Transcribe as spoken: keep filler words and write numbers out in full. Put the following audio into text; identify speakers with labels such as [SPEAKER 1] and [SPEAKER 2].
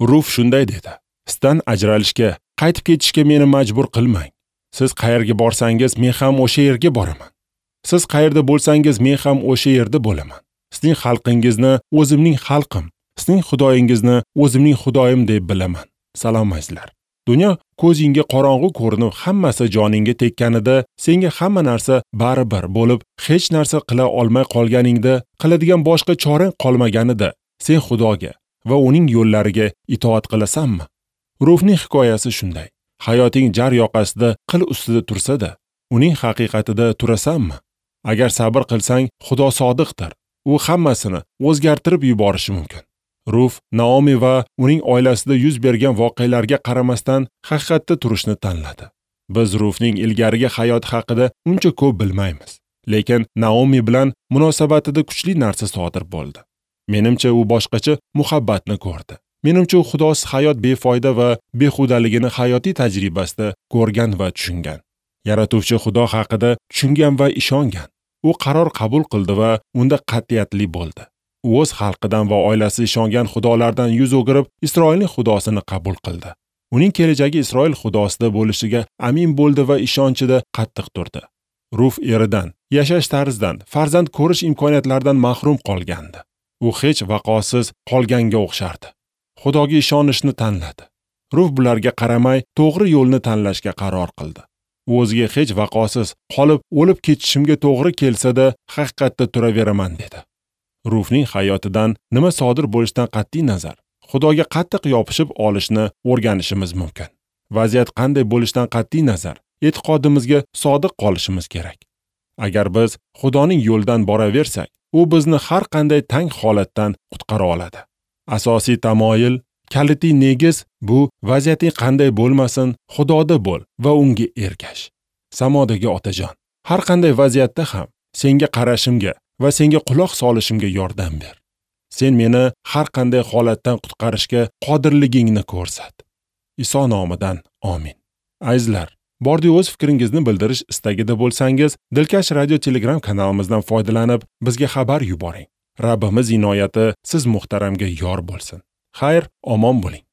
[SPEAKER 1] Ruf shunday dedi: "Sizdan ajralishga, qaytib ketishga meni majbur qilmang. Siz qayerga borsangiz, men ham o'sha yerga boraman. Siz qayerda bo'lsangiz, men ham o'sha yerda bo'laman. Sizning xalqingizni o'zimning xalqim, sizning xudoyingizni o'zimning xudoyim deb bilaman." Salom azizlar. Dunyo ko'zingga qorong'u ko'rinib, hammasi joningga tekkanida, senga hamma narsa baribir bo'lib, hech narsa qila olmay qolganingda, qiladigan boshqa chorang qolmaganida, sen Xudoga va uning yo'llariga itoat qilasanmi? Rufning hikoyasi shunday. Hayoting jar yoqasida qil ustida tursa-da, uning haqiqatida turasanmi? Agar sabr qilsang, Xudo sodiqdir. U hammasini o'zgartirib yuborishi mumkin. Ruf, Naomi va uning oilasida yuz bergan voqealarga qaramasdan haqiqatda turishni tanladi. Biz Rufning ilgarigi hayoti haqida uncha ko'p bilmaymiz, lekin Naomi bilan munosabatida kuchli narsa sodir bo'ldi. Menimcha, u boshqacha muhabbatni ko'rdi. Menimcha, u Xudosiz hayot befoyda va behudaligini hayotiy tajribasida ko'rgan va tushungan. Yaratuvchi Xudo haqida tushungan va ishongan. U qaror qabul qildi va unda qat'iyatli bo'ldi. U o'z xalqidan va oilasi ishongan xudolardan yuz o'girib, Isroilning xudosini qabul qildi. Uning kelajagi Isroil xudosida bo'lishiga amin bo'ldi va ishonchida qattiq turdi. Ruf eridan, yashash tarzidan, farzand ko'rish imkoniyatlaridan mahrum qolgandi. U hech vaqosiz qolganga o'xshardi. Xudoga ishonishni tanladi. Ruf bularga qaramay to'g'ri yo'lni tanlashga qaror qildi. U o'ziga hech vaqosiz qolib o'lib ketishimga to'g'ri kelsa-da, haqiqatda turaveraman dedi. Rufning hayotidan nima sodir bo'lishidan qat'iy nazar, Xudoga qattiq yopishib olishni o'rganishimiz mumkin. Vaziyat qanday bo'lishidan qat'iy nazar, e'tiqodimizga sodiq qolishimiz kerak. Agar biz Xudoning yo'lidan boraversak, u bizni har qanday tang holatdan qutqara oladi. Asosiy tamoyil, kalitiy negiz bu vaziyating qanday bo'lmasin, Xudoda bo'l va unga ergash. Samodagi otajon, har qanday vaziyatda ham senga qarashimga va senga quloq solishimga yordam ber. Sen meni har qanday holatdan qutqarishga qodirligingni ko'rsat. Iso nomidan amin. Azizlar, bordi o'z fikringizni bildirish istagida bo'lsangiz, Dilkash radio Telegram kanalimizdan foydalanib, bizga xabar yuboring. Rabbimiz inoyati siz muhtaramga yor bo'lsin. Xayr, omon bo'ling.